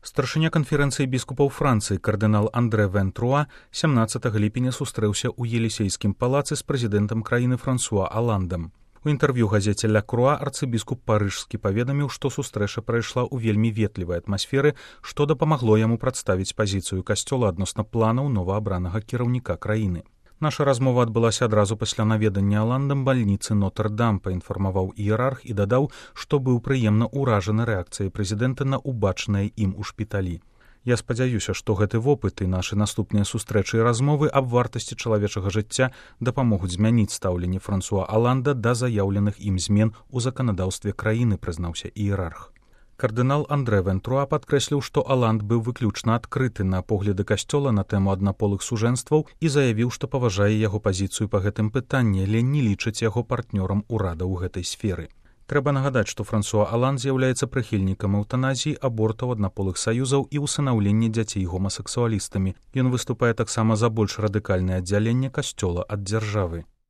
Старшыня канферэнцыі біскупаў Францыі кардынал Андре Вентруа 17 ліпеня сустрэўся ў Елісейскім палацы з прэзідэнтам краіны Франсуа Аландам. У інтэрв'ю газеце «Ля Круа» арцыбіскуп парыжскі паведаміў, што сустрэча прайшла ў вельмі ветлівай атмасферы, што дапамагло яму прадставіць пазіцыю касцёла адносна планаў новаабранага кіраўніка краіны. Наша размова адбылася адразу пасля наведання Аландам бальніцы Нотр-Дам, паінфармаваў іерарх і дадаў, што быў прыемна ўражаны рэакцыяй прэзідэнта на убачанае ім у шпіталі. Я спадзяюся, што гэты вопыт і нашы наступныя сустрэчы і размовы аб вартасці чалавечага жыцця дапамогуць змяніць стаўленне Франсуа Аланда да заяўленых ім змен у заканадаўстве краіны, прызнаўся іерарх. Кардынал Андре Вентруа падкрэсліў, што Аланд быў выключна адкрыты на погляды касцёла на тэму аднаполых сужэнстваў і заявіў, што паважае яго пазіцыю па гэтым пытанні, але не лічыць яго партнёрам урада ў гэтай сферы. Трэба нагадаць, што Франсуа Аланд з'яўляецца прыхільнікам эўтаназіі, абортаў, аднаполых саюзаў і ўсынаўлення дзяцей гомасексуалістамі. Ён выступае таксама за больш радыкальнае аддзяленне касцёла ад дзяржавы.